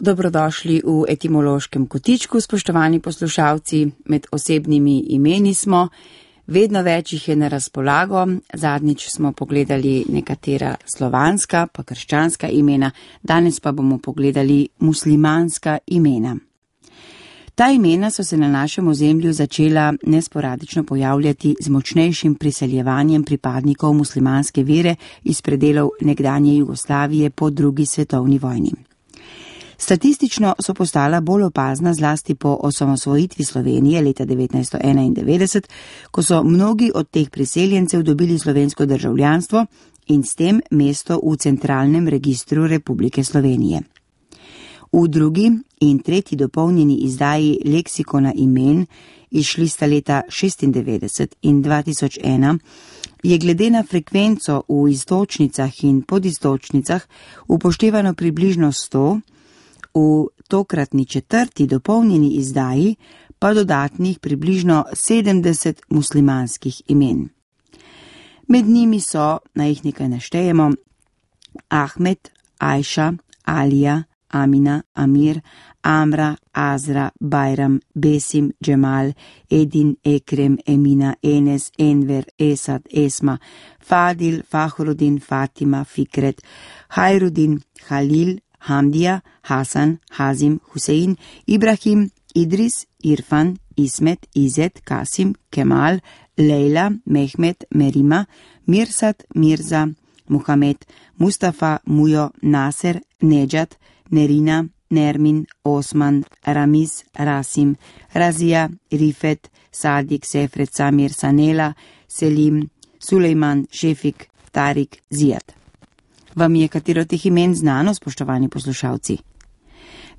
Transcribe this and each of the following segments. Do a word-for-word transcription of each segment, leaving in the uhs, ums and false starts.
Dobrodošli v etimološkem kotičku, spoštovani poslušalci. Med osebnimi imeni smo, vedno več jih je na razpolago. Zadnjič smo pogledali nekatera slovanska pa krščanska imena, danes pa bomo pogledali muslimanska imena. Ta imena so se na našem ozemlju začela nesporadično pojavljati z močnejšim priseljevanjem pripadnikov muslimanske vere iz predelov nekdanje Jugoslavije po drugi svetovni vojni. Statistično so postala bolj opazna zlasti po osamosvojitvi Slovenije leta devetnajststo enaindevetdeset, ko so mnogi od teh priseljencev dobili slovensko državljanstvo in s tem mesto v centralnem registru Republike Slovenije. V drugi in tretji dopolnjeni izdaji leksikona imen, izšli sta leta šestindevetdeset in dva tisoč ena, je glede na frekvenco v iztočnicah in podistočnicah upoštevano približno sto, v tokratni četrti dopolnjeni izdaji pa dodatnih približno sedemdeset muslimanskih imen. Med njimi so, naj jih nekaj naštejemo, Ahmed, Ajša, Alija, Amina, Amir, Amra, Azra, Bajram, Besim, Džemal, Edin, Ekrem, Emina, Enes, Enver, Esad, Esma, Fadil, Fahrudin, Fatima, Fikret, Hajrudin, Halil, Hamdija, Hasan, Hazim, Husein, Ibrahim, Idris, Irfan, Ismet, Izet, Kasim, Kemal, Lejla, Mehmet, Merima, Mirsad, Mirza, Muhamed, Mustafa, Mujo, Naser, Nedžat, Nerina, Nermin, Osman, Ramiz, Rasim, Razija, Rifet, Sadik, Sefret, Samir, Sanela, Selim, Sulejman, Šefik, Tarik, Zijat. Vam je katero teh imen znano, spoštovani poslušalci?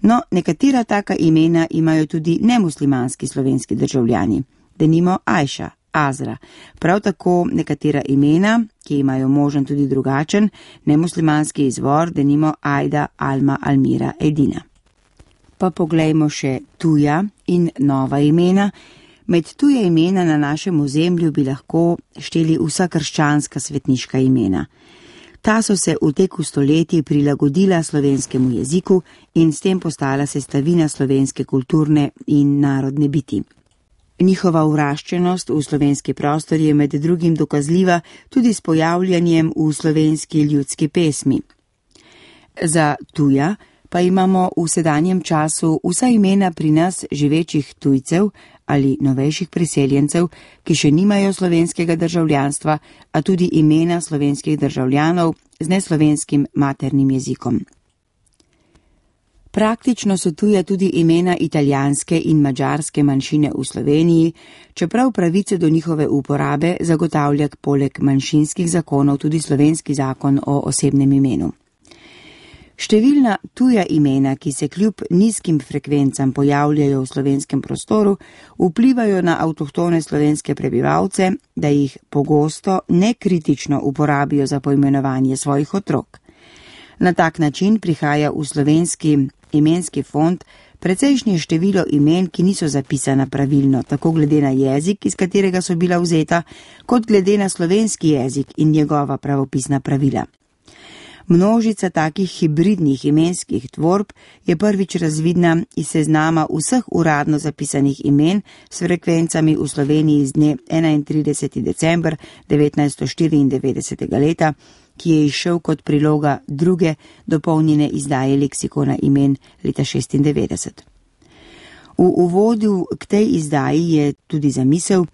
No, nekatera taka imena imajo tudi nemuslimanski slovenski državljani, denimo Ajša, Azra, prav tako nekatera imena, ki imajo možen tudi drugačen nemuslimanski izvor, denimo Ajda, Alma, Almira, Edina. Pa poglejmo še tuja in nova imena. Med tuje imena na našem ozemlju bi lahko šteli vsa krščanska svetniška imena. Ta so se v teku stoletij prilagodila slovenskemu jeziku in s tem postala sestavina slovenske kulturne in narodne biti. Njihova vraščenost v slovenski prostor je med drugim dokazljiva tudi s pojavljanjem v slovenski ljudski pesmi. Za tuja pa imamo v sedanjem času vsa imena pri nas živečih tujcev ali novejših priseljencev, ki še nimajo slovenskega državljanstva, a tudi imena slovenskih državljanov z neslovenskim maternim jezikom. Praktično so tuje tudi imena italijanske in madžarske manjšine v Sloveniji, čeprav pravice do njihove uporabe zagotavlja poleg manjšinskih zakonov tudi slovenski zakon o osebnem imenu. Številna tuja imena, ki se kljub nizkim frekvencam pojavljajo v slovenskem prostoru, vplivajo na avtohtone slovenske prebivalce, da jih pogosto nekritično uporabijo za poimenovanje svojih otrok. Na tak način prihaja v slovenski imenski fond precejšnje število imen, ki niso zapisana pravilno, tako glede na jezik, iz katerega so bila vzeta, kot glede na slovenski jezik in njegova pravopisna pravila. Množica takih hibridnih imenskih tvorb je prvič razvidna iz seznama vseh uradno zapisanih imen s frekvencami v Sloveniji z dne enaintrideseti december devetnajststo štiriindevetdesetega leta, ki je izšel kot priloga druge dopolnjene izdaje leksikona imen leta šestindevetdeset. V uvodu k tej izdaji je tudi zamisel,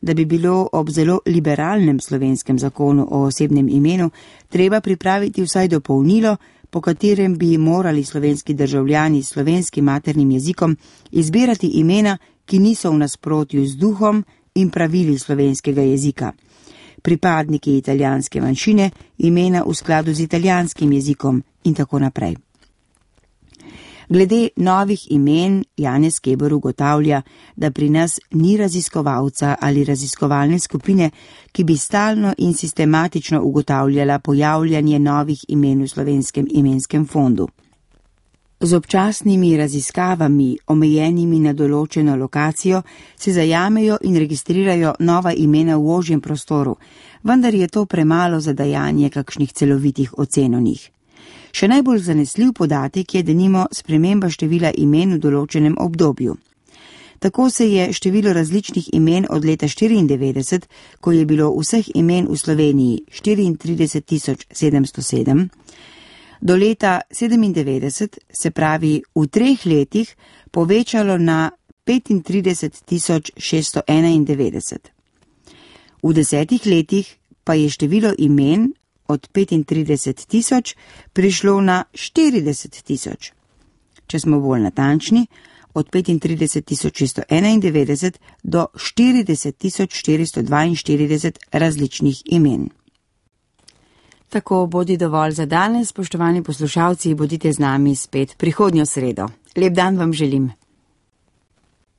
da bi bilo ob zelo liberalnem slovenskem zakonu o osebnem imenu treba pripraviti vsaj dopolnilo, po katerem bi morali slovenski državljani s slovenskim maternim jezikom izbirati imena, ki niso v nasprotju z duhom in pravili slovenskega jezika. Pripadniki italijanske manjšine imena v skladu z italijanskim jezikom in tako naprej. Glede novih imen Janez Keber ugotavlja, da pri nas ni raziskovalca ali raziskovalne skupine, ki bi stalno in sistematično ugotavljala pojavljanje novih imen v slovenskem imenskem fondu. Z občasnimi raziskavami, omejenimi na določeno lokacijo, se zajamejo in registrirajo nova imena v ožjem prostoru, vendar je to premalo za dajanje kakšnih celovitih ocen o njih. Še najbolj zanesljiv podatek je denimo sprememba števila imen v določenem obdobju. Tako se je število različnih imen od leta štiriindevetdeset, ko je bilo vseh imen v Sloveniji štiriintrideset tisoč sedemsto sedem, do leta sedemindevetdeset, se pravi v treh letih, povečalo na petintrideset tisoč šeststo enaindevetdeset. V desetih letih pa je število imen od petintrideset tisoč prišlo na štirideset tisoč. Če smo bolj natančni, od petintrideset tisoč šeststo enaindevetdeset do štirideset tisoč štiristo dvainštirideset različnih imen. Tako bodi dovolj za danes, spoštovani poslušalci, bodite z nami spet prihodnjo sredo. Lep dan vam želim.